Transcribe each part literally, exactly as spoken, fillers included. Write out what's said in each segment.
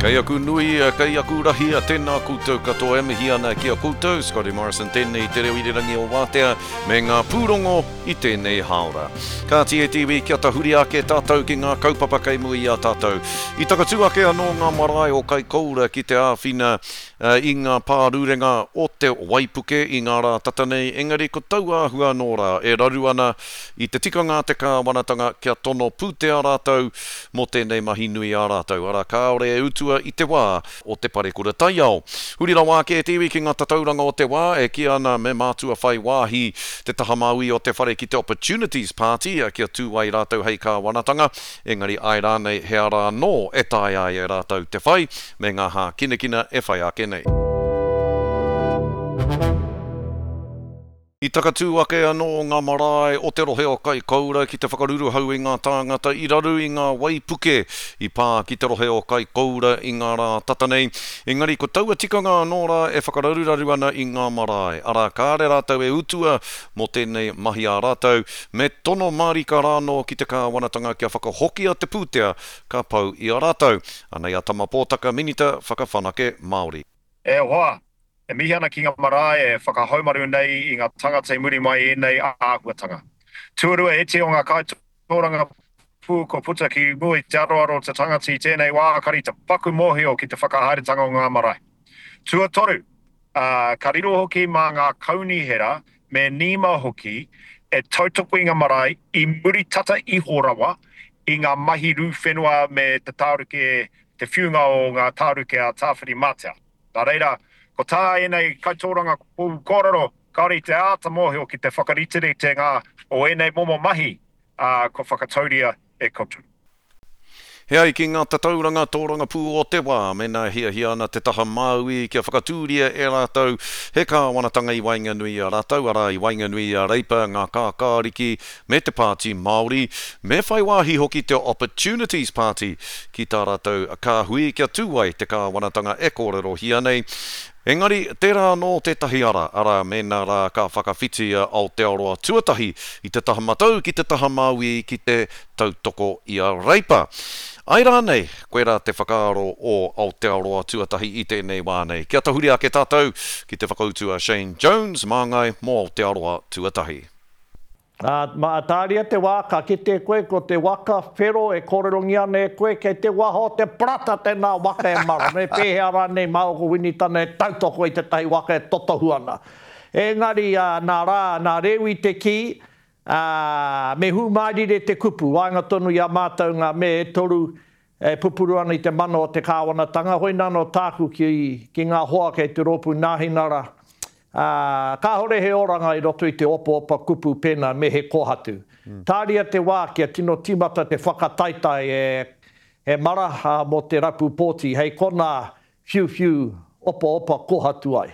Kei aku nui, kei aku rahi, tēnā koutou katoa e mihi ana ki a koutou, Scotty Morrison tēnei te reo irirangi o Wātea, me ngā pūrongo i tēnei hāora. Kāti e te iwi, kia tahuri ake tātou ki ngā kaupapa kei mua i a tātou. I takatū ake anō ngā marae o Kaikoura ki te āwhina i ngā pārurenga o te waipuke i ngā rā tata nei, engari ko taua āhua anō rā e raru ana i te tikanga a te kāwanatanga kia tono pūtea rātou mō tēnei mahi nui a rātou, arā kāore e utua i te wā o te parekura taiao. Huri rawa ake e te iwi ki ngā tatauranga o te wā e kī ana me mātua whai wāhi te taha māui o te whare ki te Opportunities Party kia tū ai rātou hei kāwanatanga, engari āe rānei he ara anō e taea ai e rātou te whai me ngā hākinakina e whai ake nei. I takatū ake anō ngā marae o te rohe o Kaikoura ki te whakaruruhau i ngā tāngata i raru i ngā waipuke i pā ki te rohe o Kaikoura i ngā rā tata nei. Engari ko taua tikanga anō rā e whakararuraru ana i ngā marae, arā kāre rātou e utua mō tēnei mahi a rātou, me tono mārika rānō ki te kāwanatanga kia whakahokia te pūtea ka pau i a rātou. Anei a Tama Pōtaka, Minita Whakawhanake Māori. E hoa, e mihi ana ki ngā marae e whakahaumaru nei i ngā tangata i muri mai i ēnei āhuatanga. Tuarua, e iti o ngā kaitōrangapū kua puta ki mua i te aroaro o te tangata i tēnei wā kari te paku mōhio ki te whakahaeretanga o ngā marae. Tuatoru, ka riro hoki mā ngā kaunihera me NEMA hoki e tautoko i ngā marae i muri tata iho rawa i ngā mahi rū whenua me te tāruke, te whiunga o ngā tāruke a Tāwhirimātea. Nā reira, ko tā ēnei kaitōrangapū kōrero, kāore i te āta mōhio ki te whakariteritenga o ēnei momo mahi, ā, kua whakatauria e koutou. He ai ki ngā tatauranga tōrangapū o te wā, mēnā e hiahia ana te taha Māui kia whakatūria e rātou he kāwanatanga i waenganui i a rātou, arā, i waenganui i a Reipa, ngā Kākāriki me te Pāti Māori, me whai wāhi hoki te Opportunities Party ki tā rātou kāhui kia tū ai te kāwanatanga e kōrerohia nei. Engari, tērā anō tētahi ara, arā, mēnā rā ka whakawhiti a Aotearoa tuatahi i te taha matau ki te taha māui ki te tautoko i a Reipa. Āe rānei, koirā te whakaaro o Aotearoa tuatahi i tēnei wā nei. Kia tahuri ake tātou ki te whakautu a Shane Jones, māngai mō Aotearoa tuatahi. Ā, mā, tāria te wā, ka kite koe ko te waka whero e kōrerongia ana e koe, kei te waha o te parata tēnā waka e mara, me pēhea rānei mā ōku Winitana e tautoko i tētahi waka e totohu ana. Engari, ā, nā Rā, nā Rewi te kī, ā, me hūmārire te kupu, waenga tonu i a mātou ngā me e toru e pupuru ana i te mana o te kāwanatanga, hoina anō tāku ki, ki ngā hoa kei te rōpū Nāhinara, ā, kāhore he oranga i roto i te opaopa kupu pēnā me he kōhatu. Tāria te wā kia tino tīmata te whakataetae e, e mara, ā, mō te rapu pōti, hei konā whiuwhiu opaopa kōhatu ai.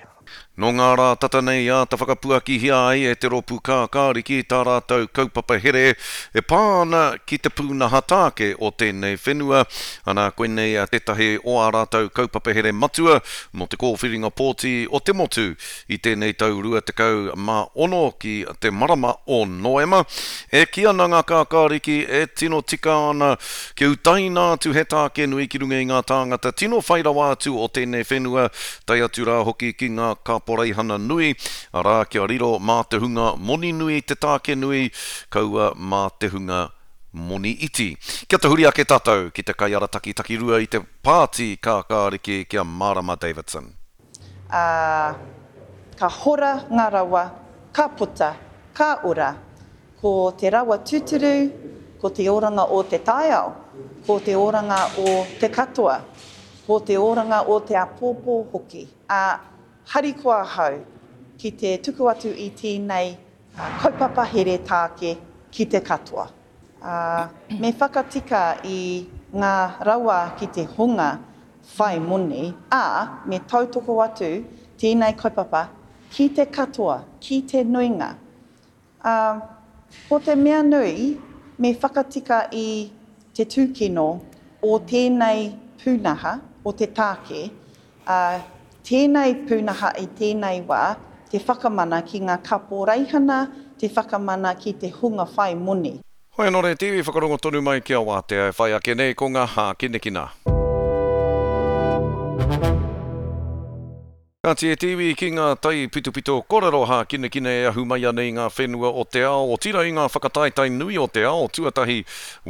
Nō ngā rā tata nei āta whakapuakihia ai e te Rōpū Kākāriki tā rātou kaupapa here e pā ana ki te pūnaha tāke o tēnei whenua. Ana, koinei tētahi o ā rātou kaupapa here matua mō te kōwhiringa pōti o te motu i tēnei tau rua tekau mā ono ki te marama o Noema. E kī ana ngā kākāriki e tino tika ana kia utaina atu he tāke nui ki runga i ngā tāngata tino whai rawa atu o tēnei whenua, tae atu rā hoki ki ngā kaporeihana nui, arā kia riro mā te hunga moni nui te tāke nui, kaua mā te hunga moni iti. Kia tahuri ake tātou ki te kaiarataki takirua i te pāti kākāriki ki a Marama Davidson. Ā, ka hora ngā rawa, ka puta, ka ora. Ko te rawa tūturu, ko te oranga o te taiao, ko te oranga o te katoa, ko te oranga o te āpōpō hoki. Ā, harikoa ahau ki te tuku atu i tēnei kaupapa here tāke ki te katoa. Ā, me whakatika i ngā rawa ki te hunga whai moni, ā, me tautoko atu tēnei kaupapa ki te katoa, ki te nuinga. Ā, ko te mea nui, me whakatika i te tūkino o tēnei pūnaha, o te tāke, ā, tēnei pūnaha i tēnei wā, te whakamana ki ngā kaporeihana, te whakamana ki te hunga whai moni. Hoi anō re te iwi whakarongo tonu mai ki a Wātea e whai ake nei ko ngā hākinakina. Kāti e te iwi ki ngā taipitopito korero hākinakina e ahu mai ana i ngā whenua o te ao, otirā i ngā whakataetae nui o te ao. Tuatahi,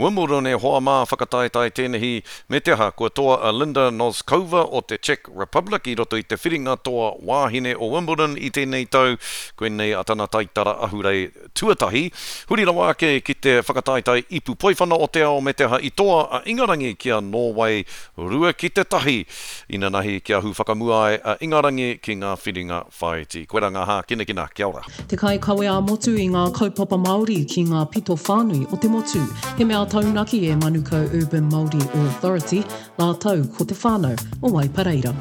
Wimbledon e hoa mā, whakataetae tēnehi, me te aha, kua toa a Linda Noskova o te Czech Republic i roto i te whiringa toa wāhine o Wimbledon i tēnei tau, koinei a tana taitara ahurei tuatahi. Huri rawa ake ki te whakataetae ipu poiwhana o te ao me te aha i toa a Ingarangi ki a Nōwei rua ki te tahi inanahi kia ahu whakamua ai a Ingarangi ki ngā whiringa whāiti. Koirā ngā hākinakina. Kia ora. Te kaikawe ā-motu i ngā kaupapa Māori ki ngā pito whānui o te motu. He mea taunaki e Manukau Urban Māori Authority rātou ko te whānau o Waipareira.